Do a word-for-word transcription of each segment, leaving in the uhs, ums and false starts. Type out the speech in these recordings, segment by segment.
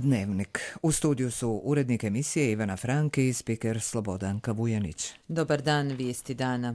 Dnevnik. U studiju su urednik emisije Ivana Frank i spiker Slobodanka Vujanić. Dobar dan, vijesti dana.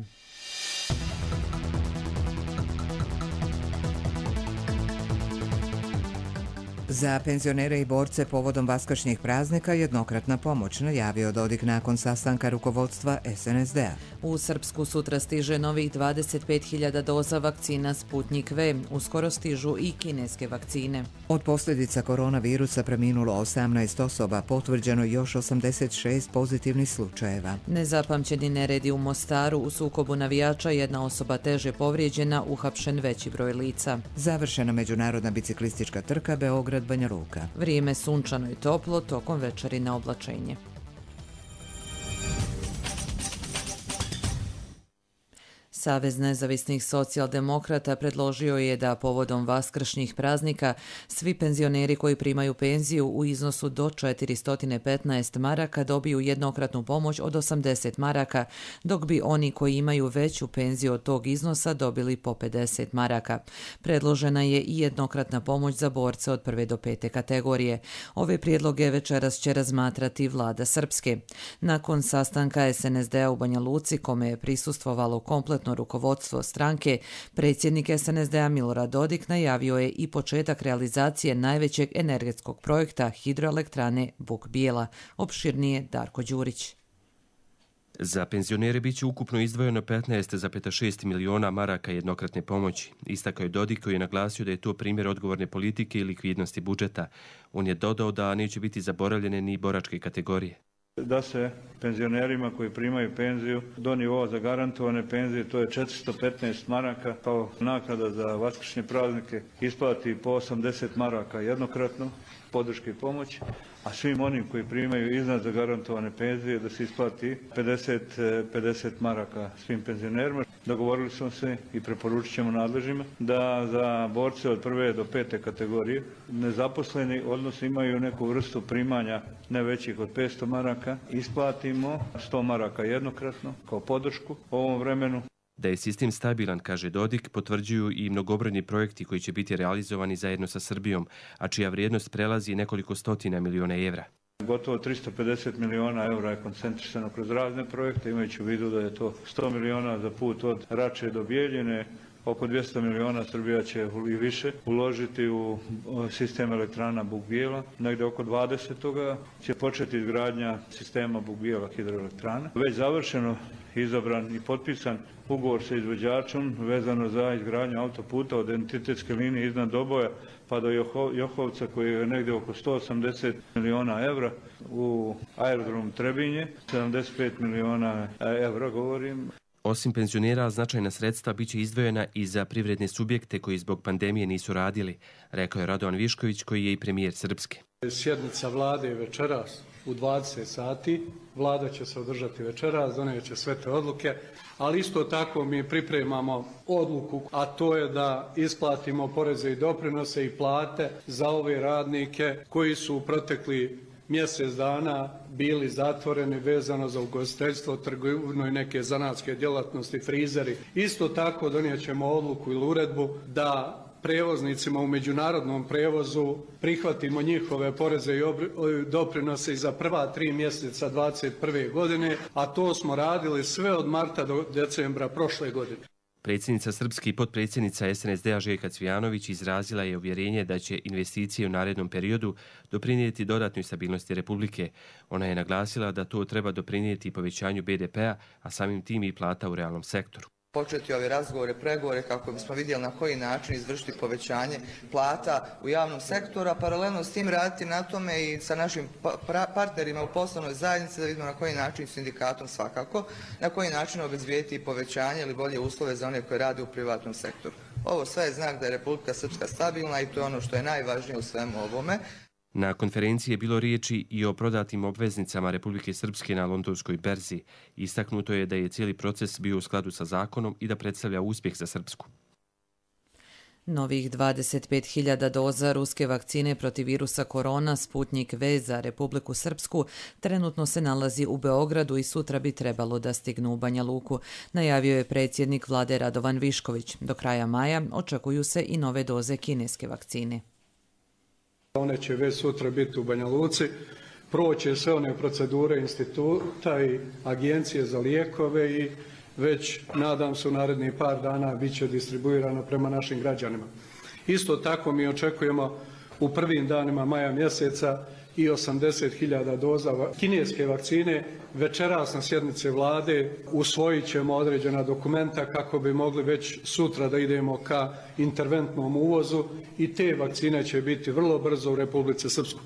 Za penzionere i borce povodom vaskršnjih praznika jednokratna pomoć, najavio Dodik nakon sastanka rukovodstva es en es de a. U Srpsku sutra stiže novih dvadeset pet hiljada doza vakcina Sputnik V. Uskoro stižu i kineske vakcine. Od posljedica koronavirusa preminulo osamnaest osoba, potvrđeno još osamdeset šest pozitivnih slučajeva. Nezapamćeni neredi u Mostaru, u sukobu navijača jedna osoba teže povrijeđena, uhapšen veći broj lica. Završena međunarodna biciklistička trka Beograd Banja Luka. Vrijeme sunčano i toplo, tokom večeri na oblačenje. Savez nezavisnih socijaldemokrata predložio je da povodom vaskršnjih praznika svi penzioneri koji primaju penziju u iznosu do četiristo petnaest maraka dobiju jednokratnu pomoć od osamdeset maraka, dok bi oni koji imaju veću penziju od tog iznosa dobili po pedeset maraka. Predložena je i jednokratna pomoć za borce od prve do pete kategorije. Ove prijedloge večeras će razmatrati vlada Srpske. Nakon sastanka es en es de a u Banja Luci, kome je prisustvovalo kompletno rukovodstvo stranke, predsjednik es en es de a Milorad Dodik najavio je i početak realizacije najvećeg energetskog projekta hidroelektrane Buk Bijela. Opširnije Darko Đurić. Za penzionere bit će ukupno izdvojeno petnaest zarez šest miliona maraka jednokratne pomoći. Istakao je Dodik, koji je naglasio da je to primjer odgovorne politike i likvidnosti budžeta. On je dodao da neće biti zaboravljene ni boračke kategorije. Da se penzionerima koji primaju penziju do nivoa zagarantovane penzije, to je četiristo petnaest maraka, kao naknada za vaskršnje praznike isplati po osamdeset maraka jednokratno podrške i pomoći, a svim onim koji primaju iznad zagarantovane penzije da se isplati pedeset, pedeset maraka svim penzionerima. Dogovorili smo se i preporučit ćemo nadležnjima da za borce od prve do pete kategorije nezaposleni, odnosno imaju neku vrstu primanja ne većih od petsto maraka, isplatimo sto maraka jednokratno kao podršku u ovom vremenu. Da je sistem stabilan, kaže Dodik, potvrđuju i mnogobrojni projekti koji će biti realizovani zajedno sa Srbijom, a čija vrijednost prelazi nekoliko stotina miliona evra. Gotovo tristo pedeset miliona evra je koncentrisano kroz razne projekte, imajući u vidu da je to sto miliona za put od Rače do Bijeljine, oko dvjesto miliona Srbija će i više uložiti u sistem elektrana Buk Bijela. Negdje oko dvadeset toga će početi izgradnja sistema Buk Bijela hidroelektrana. Već završeno, izabran i potpisan ugovor sa izvođačom vezano za izgradnju autoputa od identitetske linije iznad Doboja pa do Johovca, koji je negdje oko sto osamdeset miliona evra, u aerodrom Trebinje, sedamdeset pet miliona evra govorim. Osim penzionera, značajna sredstva bit će izdvojena i za privredne subjekte koji zbog pandemije nisu radili, rekao je Radovan Višković, koji je i premijer Srpske. Sjednica vlade je večeras u dvadeset sati. Vlada će se održati večeras, doneće sve te odluke, ali isto tako mi pripremamo odluku, a to je da isplatimo poreze i doprinose i plate za ove radnike koji su protekli mjesec dana bili zatvoreni vezano za ugostiteljstvo, trgovinu i neke zanatske djelatnosti, frizeri. Isto tako donijet ćemo odluku ili uredbu da prevoznicima u međunarodnom prevozu prihvatimo njihove poreze i doprinose i za prva tri mjeseca dvadeset prve godine, a to smo radili sve od marta do decembra prošle godine. Predsjednica Srpske i potpredsjednica es en es de a Željka Cvijanović izrazila je uvjerenje da će investicije u narednom periodu doprinijeti dodatnoj stabilnosti Republike. Ona je naglasila da to treba doprinijeti povećanju be de pea, a samim tim i plata u realnom sektoru. Početi ove razgovore, pregovore kako bismo vidjeli na koji način izvršiti povećanje plata u javnom sektoru, a paralelno s tim raditi na tome i sa našim partnerima u poslovnoj zajednici da vidimo na koji način, sindikatom svakako, na koji način obezbijediti povećanje ili bolje uslove za one koje rade u privatnom sektoru. Ovo sve je znak da je Republika Srpska stabilna i to je ono što je najvažnije u svemu ovome. Na konferenciji je bilo riječi i o prodatim obveznicama Republike Srpske na londonskoj berzi. Istaknuto je da je cijeli proces bio u skladu sa zakonom i da predstavlja uspjeh za Srpsku. Novih dvadeset pet hiljada doza ruske vakcine protiv virusa korona Sputnik V za Republiku Srpsku trenutno se nalazi u Beogradu i sutra bi trebalo da stignu u Banja Luku, najavio je predsjednik vlade Radovan Višković. Do kraja maja očekuju se i nove doze kineske vakcine. One će već sutra biti u Banja Luci, proće sve one procedure instituta i agencije za lijekove i već, nadam se, u narednih par dana bit će distribuirano prema našim građanima. Isto tako mi očekujemo u prvim danima maja mjeseca i osamdeset hiljada doza kineske vakcine. Večeras na sjednici vlade usvojit ćemo određena dokumenta kako bi mogli već sutra da idemo ka interventnom uvozu i te vakcine će biti vrlo brzo u Republici Srpskoj.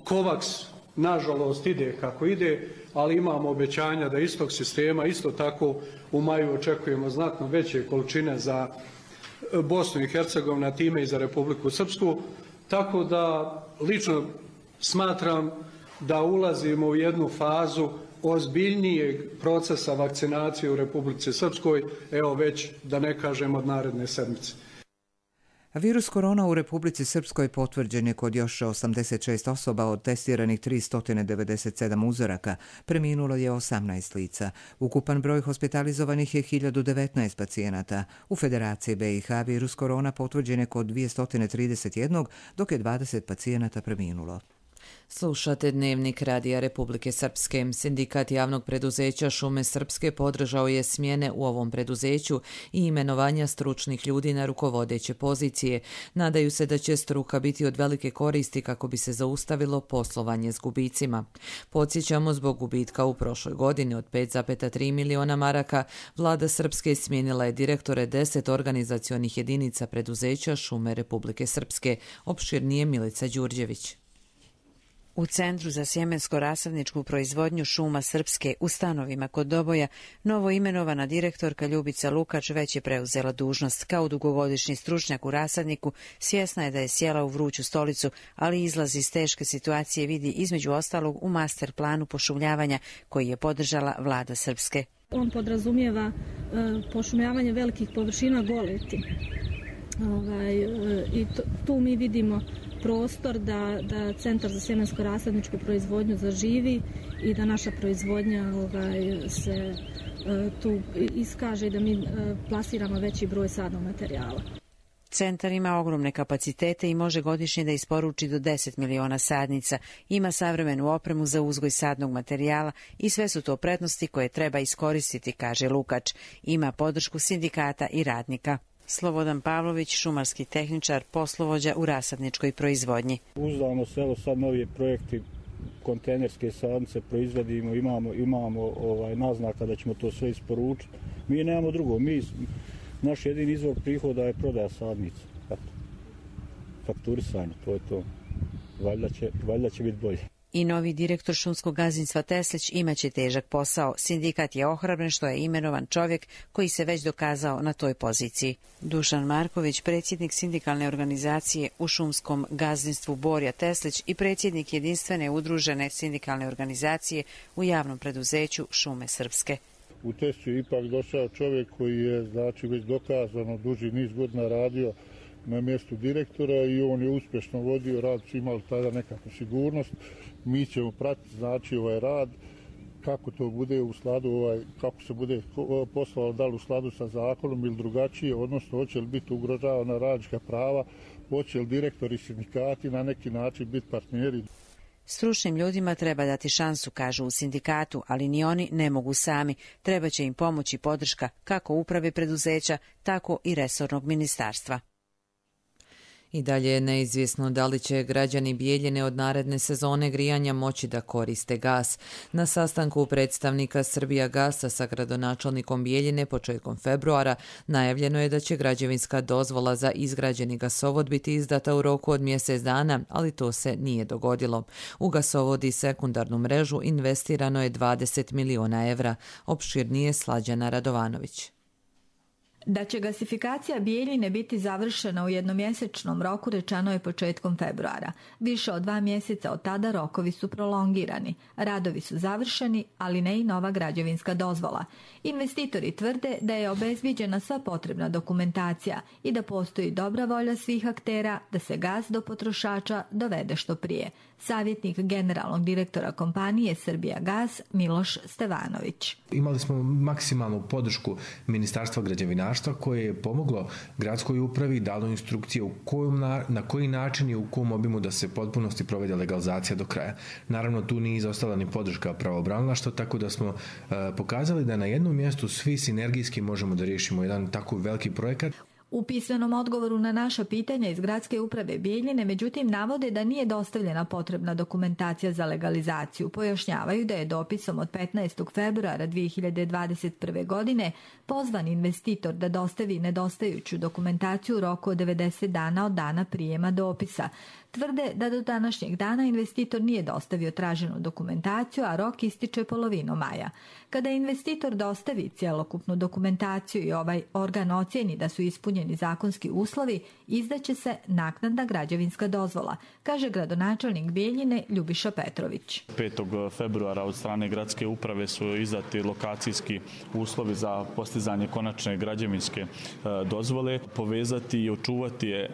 COVAX, nažalost, ide kako ide, ali imamo obećanja da istog sistema isto tako u maju očekujemo znatno veće količine za Bosnu i Hercegovinu, a time i za Republiku Srpsku. Tako da lično smatram da ulazimo u jednu fazu ozbiljnijeg procesa vakcinacije u Republici Srpskoj, evo već da ne kažem od naredne sedmice. Virus korona u Republici Srpskoj potvrđen je kod još osamdeset šest osoba od testiranih tristo devedeset sedam uzoraka. Preminulo je osamnaest lica. Ukupan broj hospitalizovanih je hiljadu devetnaest pacijenata. U Federaciji B i H virus korona potvrđen je kod dvjesto trideset jedan, dok je dvadeset pacijenata preminulo. Slušate Dnevnik Radija Republike Srpske. Sindikat javnog preduzeća Šume Srpske podržao je smjene u ovom preduzeću i imenovanja stručnih ljudi na rukovodeće pozicije. Nadaju se da će struka biti od velike koristi kako bi se zaustavilo poslovanje s gubicima. Podsjećamo, zbog gubitka u prošloj godini od pet zarez tri miliona maraka, vlada Srpske smijenila je direktore deset organizacionih jedinica preduzeća Šume Republike Srpske. Opširnije Milica Đurđević. U Centru za sjemensko-rasadničku proizvodnju Šuma Srpske u stanovima kod Doboja novo imenovana direktorka Ljubica Lukač već je preuzela dužnost. Kao dugogodišnji stručnjak u rasadniku svjesna je da je sjela u vruću stolicu, ali izlaz iz teške situacije vidi između ostalog u master planu pošumljavanja koji je podržala vlada Srpske. On podrazumijeva e, pošumljavanje velikih površina goleti. Ovaj, e, I to, tu mi vidimo prostor da, da Centar za sjemensko-rasadničku proizvodnju zaživi i da naša proizvodnja ovaj, se e, tu iskaže i da mi e, plasiramo veći broj sadnog materijala. Centar ima ogromne kapacitete i može godišnje da isporuči do deset miliona sadnica. Ima savremenu opremu za uzgoj sadnog materijala i sve su to prednosti koje treba iskoristiti, kaže Lukač. Ima podršku sindikata i radnika. Slobodan Pavlović, šumarski tehničar, poslovođa u rasadničkoj proizvodnji. Uzdamo se, evo sad novi projekti, kontejnerske sadnice proizvodimo, imamo, imamo ovaj, naznaka da ćemo to sve isporučiti. Mi nemamo drugo, mi, naš jedini izvor prihoda je prodaja sadnica. Eto, fakturisanje, to je to. Valjda će, valjda će biti bolje. I novi direktor šumskog gazdinstva Teslić imaće težak posao. Sindikat je ohrabren što je imenovan čovjek koji se već dokazao na toj poziciji. Dušan Marković, predsjednik sindikalne organizacije u šumskom gazdinstvu Borja Teslić i predsjednik jedinstvene udružene sindikalne organizacije u javnom preduzeću Šume Srpske. U Tesliću je ipak došao čovjek koji je znači već dokazano duži niz godina radio na mjestu direktora i on je uspješno vodio rad, su imali tada nekakvu sigurnost. Mi ćemo pratiti znači ovaj rad, kako to bude u skladu, ovaj, kako se bude poslalo, da li u skladu sa zakonom ili drugačije, odnosno hoće li biti ugrožavana radnička prava, hoće li direktori sindikati na neki način biti partneri. Stručnim ljudima treba dati šansu, kažu u sindikatu, ali ni oni ne mogu sami. Treba će im pomoći podrška kako uprave preduzeća, tako i resornog ministarstva. I dalje je neizvjesno da li će građani Bijeljine od naredne sezone grijanja moći da koriste gas. Na sastanku predstavnika Srbija gasa sa gradonačelnikom Bijeljine početkom februara najavljeno je da će građevinska dozvola za izgrađeni gasovod biti izdata u roku od mjesec dana, ali to se nije dogodilo. U gasovod i sekundarnu mrežu investirano je dvadeset miliona evra. Opširnije Slađana Radovanović. Da će gasifikacija Bijeljine biti završena u jednomjesečnom roku rečeno je početkom februara. Više od dva mjeseca od tada rokovi su prolongirani. Radovi su završeni, ali ne i nova građevinska dozvola. Investitori tvrde da je obezbijeđena sva potrebna dokumentacija i da postoji dobra volja svih aktera da se gas do potrošača dovede što prije. Savjetnik generalnog direktora kompanije Srbija gas Miloš Stevanović. Imali smo maksimalnu podršku Ministarstva građevinarstva građevinarstva koje je pomoglo gradskoj upravi i dalo instrukcije u kojom, na koji način i u kom obimu da se potpunosti provede legalizacija do kraja. Naravno, tu nije izostala ni podrška pravobranilaštva, tako da smo uh, pokazali da na jednom mjestu svi sinergijski možemo da riješimo jedan tako veliki projekat. U pismenom odgovoru na naša pitanja iz Gradske uprave Bijeljine, međutim, navode da nije dostavljena potrebna dokumentacija za legalizaciju. Pojašnjavaju da je dopisom od petnaestog februara dvije hiljade dvadeset prve. godine pozvan investitor da dostavi nedostajuću dokumentaciju u roku od devedeset dana od dana prijema dopisa. Tvrde da do današnjeg dana investitor nije dostavio traženu dokumentaciju, a rok ističe polovinom maja. Kada investitor dostavi cjelokupnu dokumentaciju i ovaj organ ocijeni da su ispunjeni zakonski uslovi, izdaće se naknadna građevinska dozvola, kaže gradonačelnik Bijeljine Ljubiša Petrović. petog februara od strane Gradske uprave su izdati lokacijski uslovi za postizanje konačne građevinske dozvole, povezati i očuvati je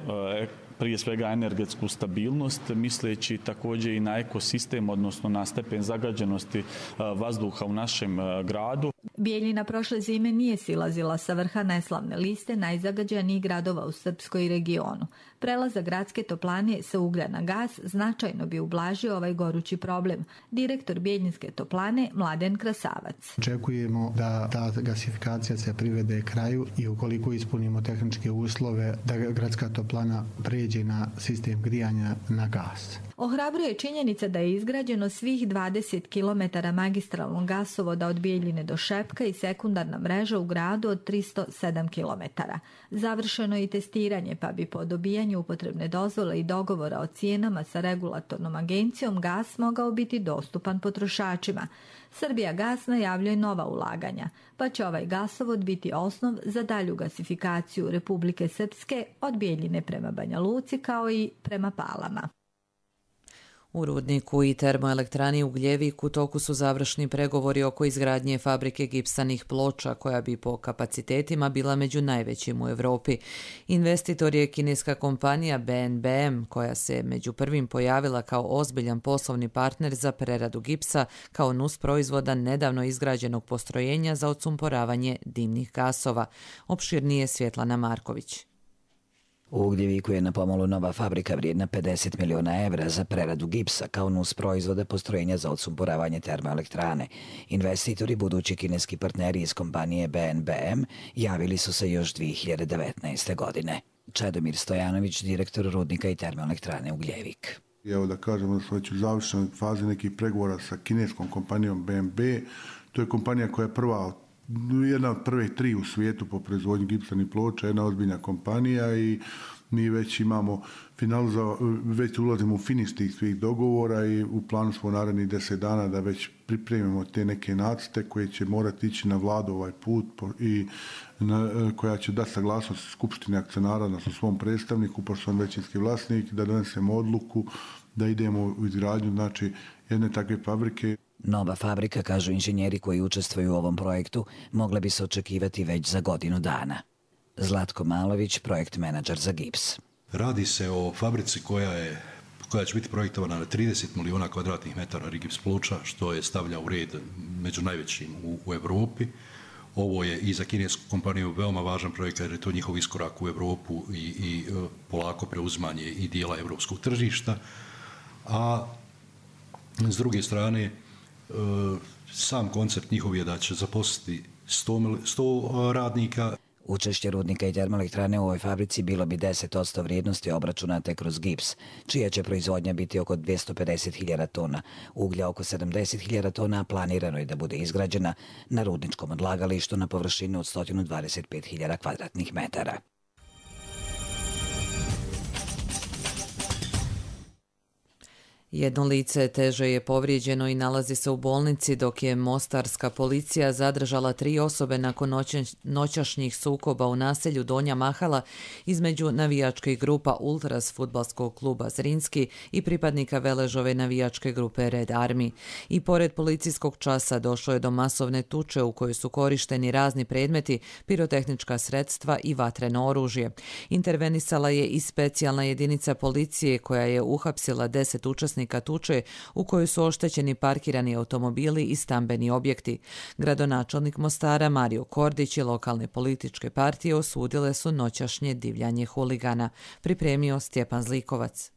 prije svega energetsku stabilnost, misleći također i na ekosistem, odnosno na stepen zagađenosti vazduha u našem gradu. Bijeljina prošle zime nije silazila sa vrha neslavne liste najzagađenijih gradova u Srpskoj regionu. Prelazak gradske toplane sa uglja na gas značajno bi ublažio ovaj gorući problem. Direktor Bijeljinske toplane Mladen Krasavac. Očekujemo da ta gasifikacija se privede kraju i ukoliko ispunimo tehničke uslove da gradska toplana pređe na sistem grijanja na gas. Ohrabruje činjenica da je izgrađeno svih dvadeset kilometara magistralnog gasovoda od Bijeljine do Šepka i sekundarna mreža u gradu od tristo sedam kilometara. Završeno je i testiranje, pa bi po dobijanju upotrebne dozvole i dogovora o cijenama sa regulatornom agencijom gas mogao biti dostupan potrošačima. Srbija gas najavljuje nova ulaganja, pa će ovaj gasovod biti osnov za dalju gasifikaciju Republike Srpske od Bijeljine prema Banja Luci kao i prema Palama. U rudniku i termoelektrani Ugljevik u toku su završni pregovori oko izgradnje fabrike gipsanih ploča koja bi po kapacitetima bila među najvećim u Europi. Investitor je kineska kompanija B N B M koja se među prvim pojavila kao ozbiljan poslovni partner za preradu gipsa kao nus proizvoda nedavno izgrađenog postrojenja za odsumporavanje dimnih gasova. Opširnije Svjetlana Marković. U Ugljeviku je na pomolu nova fabrika vrijedna pedeset miliona evra za preradu gipsa kao nus proizvoda postrojenja za odsumporavanje termoelektrane. Investitori, budući kineski partneri iz kompanije B N B M, javili su se još dvije hiljade devetnaeste. godine. Čedomir Stojanović, direktor rudnika i termoelektrane Ugljevik. Evo da kažemo da smo već u završnoj fazi nekih pregovora sa kineskom kompanijom B M B. To je kompanija koja je prva jedna od prvih tri u svijetu po proizvodnji gipsanih ploča, jedna ozbiljna kompanija i mi već imamo finalizao, već ulazimo u finiš tih svih dogovora i u planu smo narednih deset dana da već pripremimo te neke nacrte koje će morati ići na vladu ovaj put i na, koja će dati saglasnost Skupštine akcionara na svom predstavniku, pošto on većinski vlasnik, da donesemo odluku da idemo u izgradnju znači jedne takve fabrike. Nova fabrika, kažu inženjeri koji učestvuju u ovom projektu, mogla bi se očekivati već za godinu dana. Zlatko Malović, projekt menadžer za gips. Radi se o fabrici koja je koja će biti projektovana na trideset miliona kvadratnih metara gips ploča, što je stavlja u red među najvećim u, u Europi. Ovo je i za kinesku kompaniju veoma važan projekt jer je to njihov iskorak u Europu i, i polako preuzimanje i dijela europskog tržišta. A s druge strane, sam koncept njihov je da će zaposliti sto radnika. Učešće rudnika i termoelektrane u ovoj fabrici bilo bi deset posto vrijednosti obračunate kroz gips, čija će proizvodnja biti oko dvjesto pedeset hiljada tona, uglja oko sedamdeset hiljada tona, planirano je da bude izgrađena na rudničkom odlagalištu na površini od sto dvadeset pet hiljada kvadratnih metara. Jedno lice teže je povrijeđeno i nalazi se u bolnici, dok je mostarska policija zadržala tri osobe nakon noćašnjih sukoba u naselju Donja Mahala između navijačkih grupa Ultras fudbalskog kluba Zrinski i pripadnika Veležove navijačke grupe Red Army. I pored policijskog časa došlo je do masovne tuče u kojoj su korišteni razni predmeti, pirotehnička sredstva i vatreno oružje. Intervenisala je i specijalna jedinica policije koja je uhapsila deset učesnika učesnika tuče u kojoj su oštećeni parkirani automobili i stambeni objekti. Gradonačelnik Mostara Mario Kordić i lokalne političke partije osudile su noćašnje divljanje huligana. Pripremio Stjepan Zlikovac.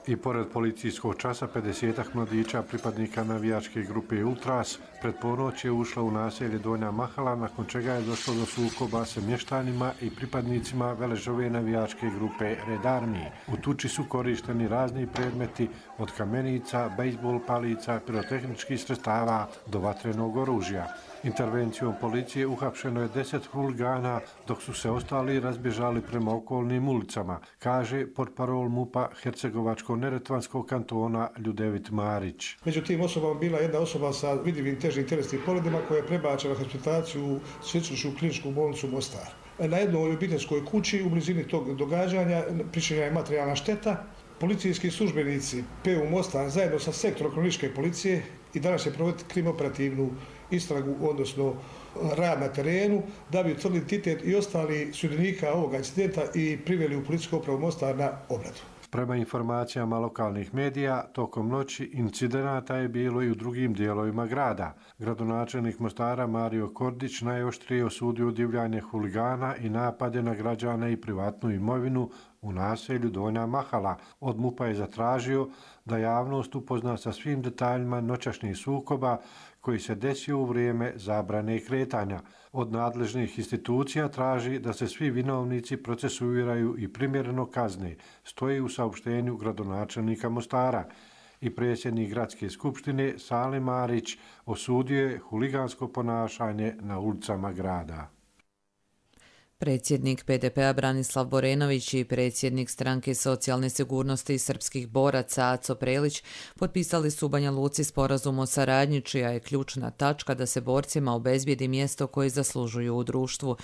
I pored policijskog časa, pedesetak mladića pripadnika navijačke grupe Ultras pred ponoć je ušla u naselje Donja Mahala, nakon čega je došlo do sukoba sa mještanima i pripadnicima veležove navijačke grupe Red Army. U tuči su korišteni razni predmeti od kamenica, bejsbol palica, pirotehničkih sredstava do vatrenog oružja. Intervencijom policije uhapšeno je deset huligana, dok su se ostali razbježali prema okolnim ulicama, kaže portparol MUP-a Hercegovačko-neretvanskog kantona Ljudevit Marić. Među tim osobama bila jedna osoba sa vidljivim težim tjelesnim povredama koja je prebačena na hospitalizaciju u Sveučilišnu kliničku bolnicu Mostar. Na jednoj obiteljskoj kući u blizini tog događanja pričinjena je materijalna šteta. Policijski službenici P U Mostar zajedno sa sektorom kriminalističke policije i danas je provoditi krimoperativnu istragu, odnosno rad na terenu, da bi utvrdili identitet i ostali sudionika ovoga incidenta i priveli u policijsku upravu Mostar na obradu. Prema informacijama lokalnih medija, tokom noći incidenata je bilo i u drugim dijelovima grada. Gradonačelnik Mostara Mario Kordić najoštrije osudio divljanje huligana i napade na građane i privatnu imovinu u naselju Donja Mahala. Od MUP-a je zatražio da javnost upozna sa svim detaljima noćašnjih sukoba koji se desio u vrijeme zabrane kretanja. Od nadležnih institucija traži da se svi vinovnici procesuiraju i primjereno kazne, stoji u saopštenju gradonačelnika Mostara. I predsjednik gradske skupštine Salim Marić osudio je huligansko ponašanje na ulicama grada. Predsjednik P D P-a Branislav Borenović i predsjednik stranke socijalne sigurnosti srpskih boraca Aco Prelić potpisali su u Banja Luci sporazum o saradnji, čija je ključna tačka da se borcima obezbijedi mjesto koje zaslužuju u društvu.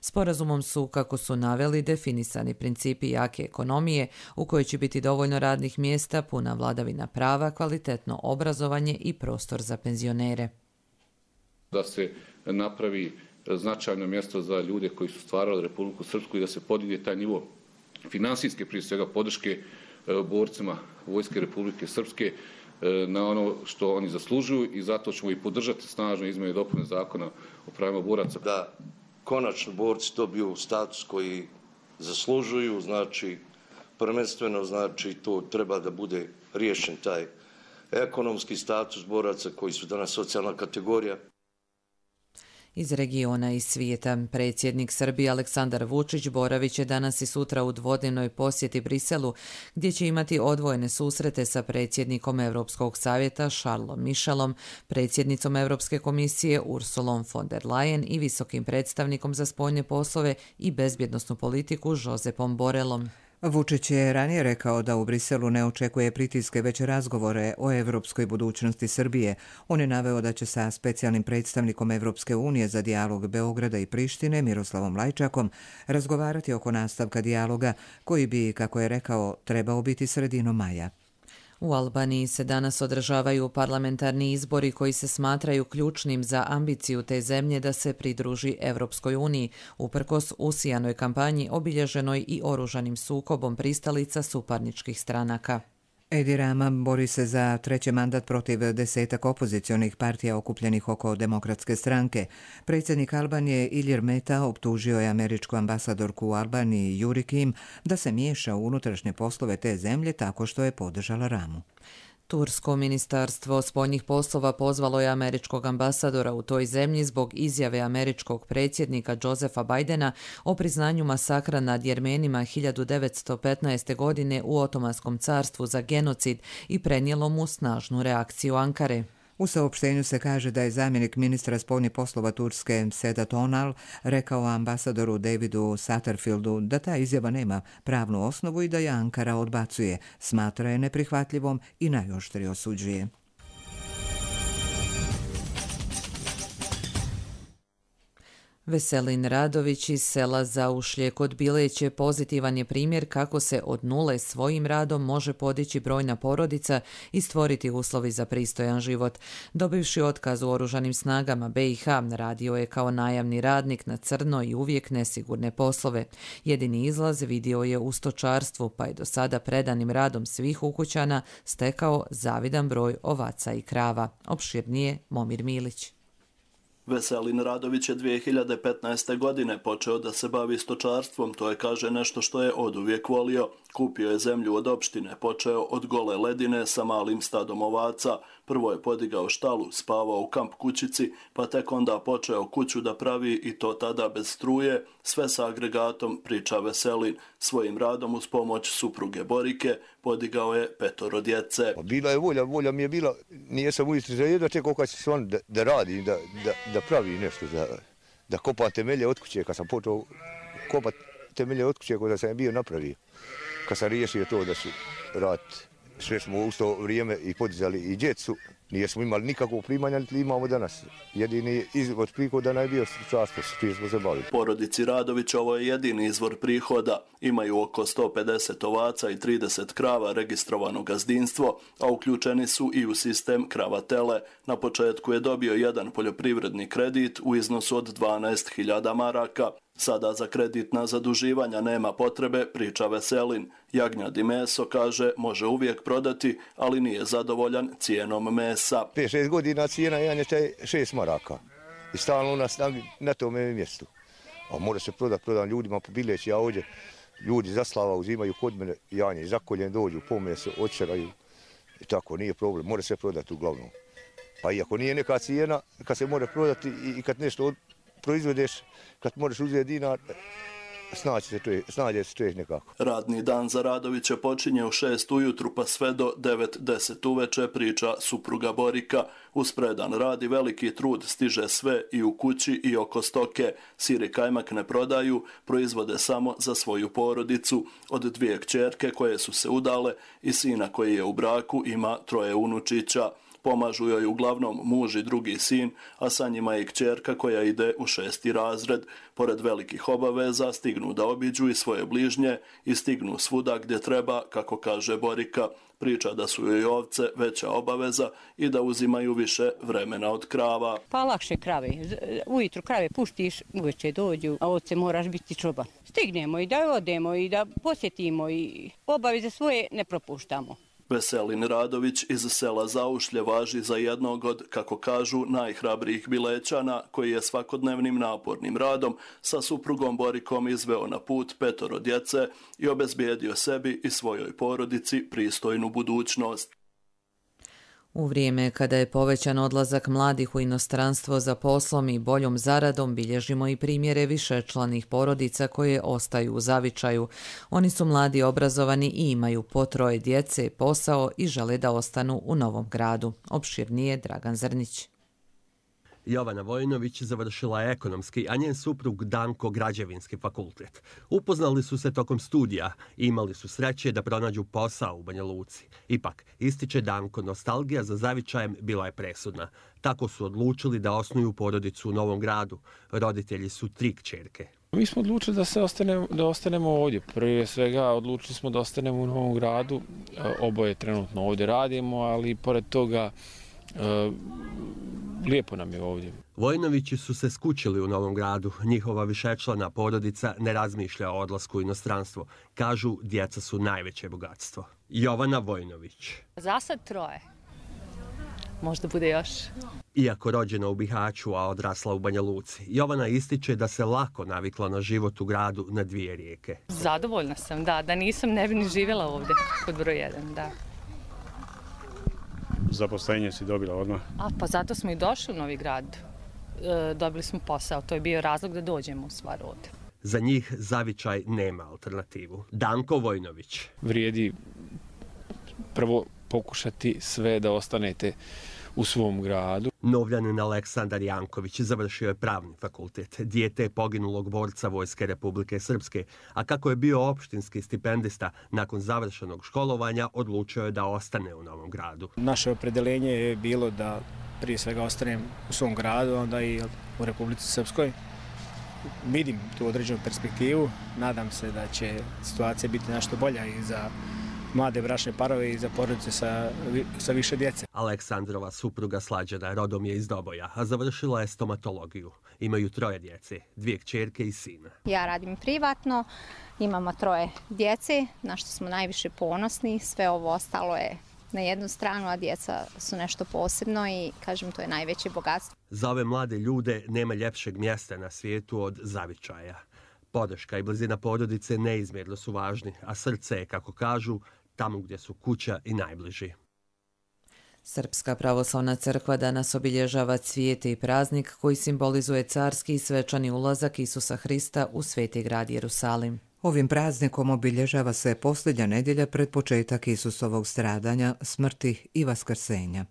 Sporazumom su, kako su naveli, definisani principi jake ekonomije u kojoj će biti dovoljno radnih mjesta, puna vladavina prava, kvalitetno obrazovanje i prostor za penzionere. Da se napravi značajno mjesto za ljude koji su stvarali Republiku Srpsku i da se podigne taj nivo finansijske, prije svega podrške borcima Vojske Republike Srpske na ono što oni zaslužuju, i zato ćemo i podržati snažno izmjene i dopune zakona o pravima boraca. Da konačno borci dobiju status koji zaslužuju, znači prvenstveno znači to treba da bude riješen taj ekonomski status boraca koji su danas socijalna kategorija. Iz regiona i svijeta, predsjednik Srbije Aleksandar Vučić boravit će danas i sutra u dvodnevnoj posjeti Briselu, gdje će imati odvojene susrete sa predsjednikom Europskog savjeta Charlesom Michelom, predsjednicom Europske komisije Ursulom von der Leyen i visokim predstavnikom za spoljne poslove i bezbjednosnu politiku Josepom Borelom. Vučić je ranije rekao da u Briselu ne očekuje pritiske, već razgovore o evropskoj budućnosti Srbije. On je naveo da će sa specijalnim predstavnikom Evropske unije za dijalog Beograda i Prištine, Miroslavom Lajčakom, razgovarati oko nastavka dijaloga koji bi, kako je rekao, trebao biti sredinom maja. U Albaniji se danas održavaju parlamentarni izbori koji se smatraju ključnim za ambiciju te zemlje da se pridruži Evropskoj uniji, uprkos usijanoj kampanji obilježenoj i oružanim sukobom pristalica suparničkih stranaka. Edi Rama bori se za treći mandat protiv desetak opozicionih partija okupljenih oko Demokratske stranke. Predsjednik Albanije Ilir Meta optužio je američku ambasadorku u Albaniji Yuri Kim da se miješa u unutrašnje poslove te zemlje tako što je podržala Ramu. Tursko ministarstvo spoljnih poslova pozvalo je američkog ambasadora u toj zemlji zbog izjave američkog predsjednika Josefa Bidena o priznanju masakra nad Jermenima hiljadu devetsto petnaeste. godine u Otomanskom carstvu za genocid i prenijelo mu snažnu reakciju Ankare. U saopštenju se kaže da je zamjenik ministra spoljnih poslova Turske Sedat Onal rekao ambasadoru Davidu Satterfieldu da ta izjava nema pravnu osnovu i da je Ankara odbacuje, smatra je neprihvatljivom i najoštrije osuđuje. Veselin Radović iz sela Zaušlje kod Bileće pozitivan je primjer kako se od nule svojim radom može podići brojna porodica i stvoriti uslovi za pristojan život. Dobivši otkaz u oružanim snagama B i H, radio je kao najamni radnik na crno i uvijek nesigurne poslove. Jedini izlaz vidio je u stočarstvu, pa je do sada predanim radom svih ukućana stekao zavidan broj ovaca i krava. Opširnije Momir Milić. Veselin Radović je dvije hiljade petnaeste. godine počeo da se bavi stočarstvom, to je, kaže, nešto što je oduvijek volio. Kupio je zemlju od opštine, počeo od gole ledine sa malim stadom ovaca. Prvo je podigao štalu, spavao u kamp kućici, pa tek onda počeo kuću da pravi i to tada bez struje, sve sa agregatom, priča Veselin. Svojim radom uz pomoć supruge Borike podigao je petoro djece. Bila je volja, volja mi je bila, nije sam ujutro za jedno čekao kad će se on da, da radi, da, da, da pravi nešto, da, da kopa temelje od kuće, kad sam počeo kopat temelje od kuće, kada sam bio napravio. Kad sam riješio to da su rad, sve smo u to vrijeme i podizali i djecu, nijesmo imali nikakvog primanja, niti imamo danas. Jedini izvor prihoda je bio stočarstvo, s čim smo se bavili. Porodici Radović ovo je jedini izvor prihoda. Imaju oko sto pedeset ovaca i trideset krava registrovano gazdinstvo, a uključeni su i u sistem krava-tele. Na početku je dobio jedan poljoprivredni kredit u iznosu od dvanaest hiljada maraka. Sada za kreditna zaduživanja nema potrebe, priča Veselin. Jagnjad i meso, kaže, može uvijek prodati, ali nije zadovoljan cijenom mesa. pet šest godina cijena janjeta je šest maraka. I stalno nas na, na tome mjestu. A mora se prodati, prodam ljudima po Bileći, ja ovdje ljudi zaslava uzimaju kod mene janje, zakoljen dođu, po meso, očeraju. I tako, nije problem, mora se prodati uglavnom. Pa iako nije neka cijena, kad se mora prodati i, i kad nešto od, proizvodeš, kad moraš uzeti dinar, snađe se čovjek, snađe se čovjek nekako. Radni dan za Radovića počinje u šest ujutru pa sve do devet deset uveče, priča supruga Borika. Uz predan rad i veliki trud stiže sve i u kući i oko stoke. Sir i kajmak ne prodaju, proizvode samo za svoju porodicu. Od dvije kćerke koje su se udale i sina koji je u braku ima troje unučića. Pomažu joj uglavnom muž i drugi sin, a sa njima je i kćerka koja ide u šesti razred. Pored velikih obaveza stignu da obiđu i svoje bližnje i stignu svuda gdje treba, kako kaže Borika. Priča da su joj ovce veća obaveza i da uzimaju više vremena od krava. Pa lakše krave. Ujutru krave puštiš, uveče dođu, a ovce moraš biti čoban. Stignemo i da odemo i da posjetimo i obaveze svoje ne propuštamo. Veselin Radović iz sela Zaušlje važi za jednog od, kako kažu, najhrabrijih Bilećana, koji je svakodnevnim napornim radom sa suprugom Borikom izveo na put petoro djece i obezbijedio sebi i svojoj porodici pristojnu budućnost. U vrijeme kada je povećan odlazak mladih u inostranstvo za poslom i boljom zaradom, bilježimo i primjere višečlanih porodica koje ostaju u zavičaju. Oni su mladi, obrazovani i imaju po troje djece, posao i žele da ostanu u Novom Gradu. Opširnije Dragan Zrnić. Jovana Vojnović završila je ekonomski, a njen suprug Danko građevinski fakultet. Upoznali su se tokom studija i imali su sreće da pronađu posao u Banja Luci. Ipak, ističe Danko, nostalgija za zavičajem bila je presudna. Tako su odlučili da osnuju porodicu u Novom Gradu. Roditelji su tri kćerke. Mi smo odlučili da, se ostanemo, da ostanemo ovdje. Prije svega odlučili smo da ostanemo u Novom Gradu. Oboje trenutno ovdje radimo, ali pored toga e, lijepo nam je ovdje. Vojnovići su se skućili u Novom Gradu. Njihova višečlana porodica ne razmišlja o odlasku u inostranstvo. Kažu, djeca su najveće bogatstvo. Jovana Vojnović. Za sad troje. Možda bude još. Iako rođena u Bihaću, a odrasla u Banja Luci, Jovana ističe da se lako navikla na život u gradu na dvije rijeke. Zadovoljna sam, da. Da nisam, ne bi ni živjela ovdje kod broj jedan, da. Zaposlenje si dobila odmah? A, pa zato smo i došli u Novi Grad. E, dobili smo posao, to je bio razlog da dođemo u stvar ovdje. Za njih zavičaj nema alternativu. Danko Vojnović. Vrijedi prvo pokušati sve da ostanete u svom gradu. Novljanin Aleksandar Janković završio je pravni fakultet, dijete poginulog borca Vojske Republike Srpske, a kako je bio opštinski stipendista, nakon završenog školovanja odlučio je da ostane u Novom Gradu. Naše opredeljenje je bilo da prije svega ostanem u svom gradu, onda i u Republici Srpskoj. vidim tu određenu perspektivu. Nadam se da će situacija biti nešto bolja i za mlade bračne parove i za porodice sa, sa više djece. Aleksandrova supruga Slađana rodom je iz Doboja, a završila je stomatologiju. Imaju troje djece, dvije kćerke i sina. Ja radim privatno, imamo troje djece, na što smo najviše ponosni. Sve ovo ostalo je na jednu stranu, a djeca su nešto posebno i, kažem, to je najveće bogatstvo. Za ove mlade ljude nema ljepšeg mjesta na svijetu od zavičaja. Podrška i blizina porodice neizmjerno su važni, a srce je, kako kažu, tamo gdje su kuća i najbliži. Srpska pravoslavna crkva danas obilježava cvijete i praznik koji simbolizuje carski i svečani ulazak Isusa Hrista u sveti grad Jerusalim. Ovim praznikom obilježava se posljednja nedjelja pred početak Isusovog stradanja, smrti i vaskrsenja.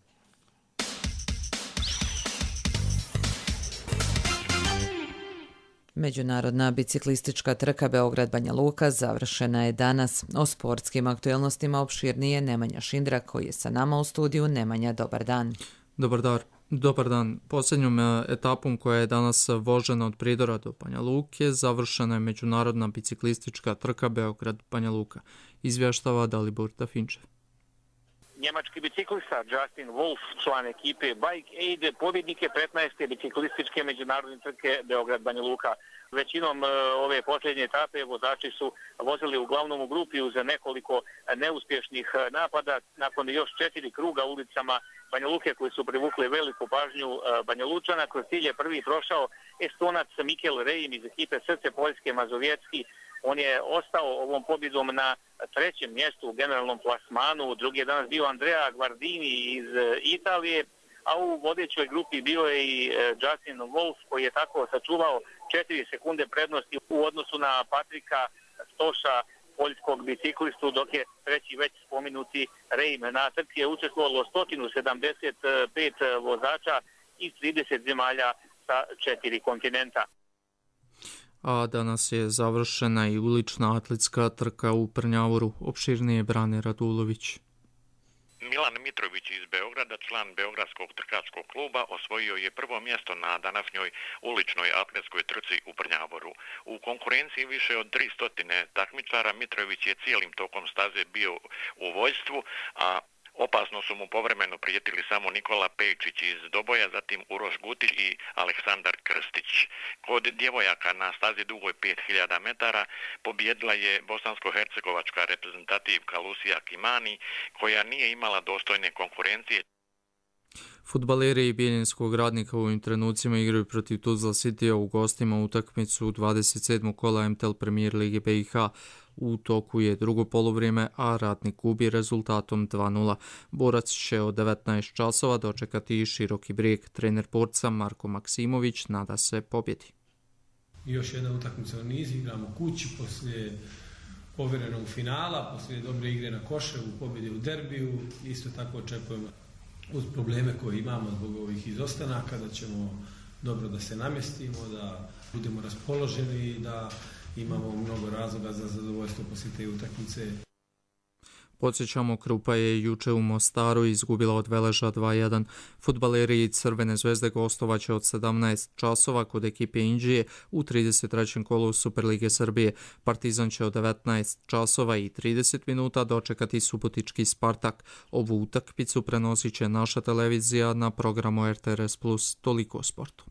Međunarodna biciklistička trka Beograd-Banja Luka završena je danas. O sportskim aktualnostima opširnije Nemanja Šindra koji je sa nama u studiju. Nemanja, dobar dan. Dobar dan. Dobar dan. Posljednjom etapom koja je danas vožena od Pridora do Banja Luke završena je međunarodna biciklistička trka Beograd-Banja Luka. Izvještava Dalibor Dafinčev. Njemački biciklista Justin Wolf, član ekipe Bike Aid, pobjednik je petnaeste biciklističke međunarodne trke Beograd-Banja Luka. Većinom ove posljednje etape vozači su vozili uglavnom u grupi uz nekoliko neuspješnih napada. Nakon još četiri kruga ulicama Banja Luke koji su privukli veliku pažnju Banja Lučana, kroz cilj je prvi prošao Estonac Mikel Rejim iz ekipe Srce Poljske Mazovjetski. On je ostao ovom pobjedom na trećem mjestu u generalnom plasmanu. Drugi je danas bio Andrea Guardini iz Italije, a u vodećoj grupi bio je i Justin Wolf koji je tako sačuvao četiri sekunde prednosti u odnosu na Patrika Stoša, poljskog biciklistu, dok je treći već spomenuti Rejm. Na trci je učestvovalo sto sedamdeset pet vozača iz trideset zemalja sa četiri kontinenta. A danas je završena i ulična atletska trka u Prnjavoru. Opširnije Brane Radulović. Milan Mitrović iz Beograda, član Beogradskog trkačkog kluba, osvojio je prvo mjesto na današnjoj uličnoj atletskoj trci u Prnjavoru. U konkurenciji više od tristo takmičara Mitrović je cijelim tokom staze bio u vojstvu, a opasno su mu povremeno prijetili samo Nikola Pejčić iz Doboja, zatim Uroš Gutić i Aleksandar Krstić. Kod djevojaka na stazi dugoj pet hiljada metara pobjedila je bosansko-hercegovačka reprezentativka Lucija Kimani, koja nije imala dostojne konkurencije. Fudbaleri Bijeljinskog Radnika u ovim trenucima igraju protiv Tuzla Citya u gostima utakmicu dvadeset sedmog kola M T L Premier Lige B i H. U toku je drugo poluvrijeme, a Radnik gubi rezultatom dva nula. Borac će od devetnaest časova dočekati Široki Brijeg. Trener borca Marko Maksimović nada se pobjedi. Još jedna utakmica u nizu, igramo kući poslije povjerenog finala, poslije dobre igre na Koševu, pobjede u derbiju. Isto tako očekujemo uz probleme koje imamo zbog ovih izostanaka da ćemo dobro da se namjestimo, da budemo raspoloženi i da imamo mnogo razloga za zadovoljstvo poslije te utakmice. Podsjećamo, Krupa je juče u Mostaru izgubila od Veleža dva jedan. Fudbaleri i Crvene zvezde gostovaće od sedamnaest časova kod ekipe Inđije u trideset trećem kolu Superlige Srbije. Partizan će od devetnaest časova i trideset minuta dočekati Subotički Spartak. Ovu utakmicu prenosit će naša televizija na programu R T R S plus. Toliko o sportu.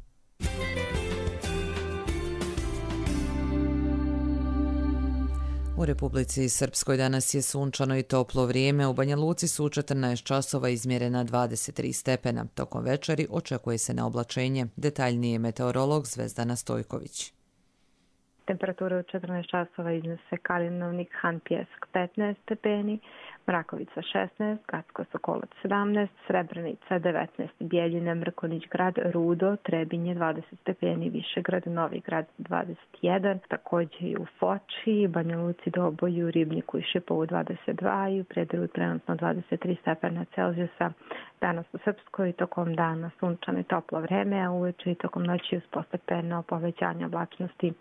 U Republici Srpskoj danas je sunčano i toplo vrijeme. U Banja Luci su u četrnaest časova izmjerena dvadeset tri stepena. Tokom večeri očekuje se na oblačenje. Detaljnije meteorolog Zvezdana Stojković. Temperatura u četrnaest časova iznose Kalinovnik, Han Pjesak petnaest stepeni, Mrakovica šesnaest, Gacko Sokolac sedamnaest, Srebrenica devetnaest, Bijeljina, Mrkonić grad, Rudo, Trebinje dvadeset stepeni, Višegrad, Novi grad dvadeset jedan, također i u Foči, Banja Luci, Doboju, Ribniku i Šipovu dvadeset dva i u Prederu trenutno dvadeset tri stepena Celzijusa. Danas u Srpskoj tokom dana sunčano i toplo vreme, a uveče i tokom noći uz postepeno povećanje oblačnosti.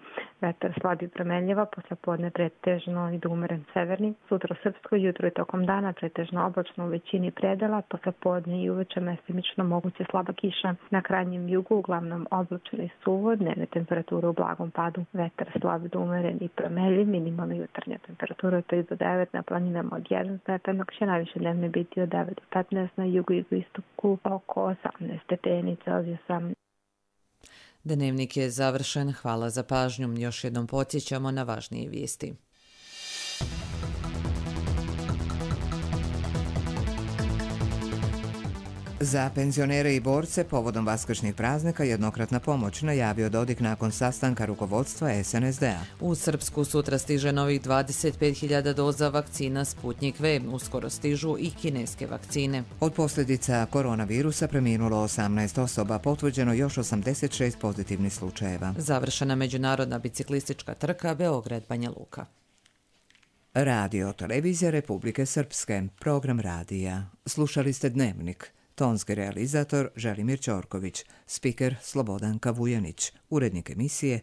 Vetar slab i promenljiva, poslepodne pretežno i umeren severni. Sutra u Srpskoj jutro i tokom dana pretežno oblačno u većini predela, poslepodne i uveče mestimično moguće slaba kiša. Na krajnjem jugu uglavnom oblačeno i suvo, dnevne temperature u blagom padu. Vetar slab i umeren i promenljiv, minimalna jutarnja temperatura od tri do devet, na planinama od jedan stepen, dok će najviše dnevne biti od devet do petnaest, na jugu i jugoistoku oko osamnaest stepeni Celzijusa. Dnevnik je završen. Hvala za pažnju. Još jednom podsjećamo na važnije vijesti. Za penzionere i borce povodom vaskršnjih praznika jednokratna pomoć, najavio Dodik nakon sastanka rukovodstva es en es de a. U Srpsku sutra stiže novih dvadeset pet hiljada doza vakcina Sputnik V. Uskoro stižu i kineske vakcine. Od posljedica koronavirusa preminulo osamnaest osoba, potvrđeno još osamdeset šest pozitivnih slučajeva. Završena međunarodna biciklistička trka Beograd-Banja Luka. Radio Televizija Republike Srpske, program radija. Slušali ste Dnevnik. Tonski realizator Želimir Ćorković, spiker Slobodanka Vujanić, urednik emisije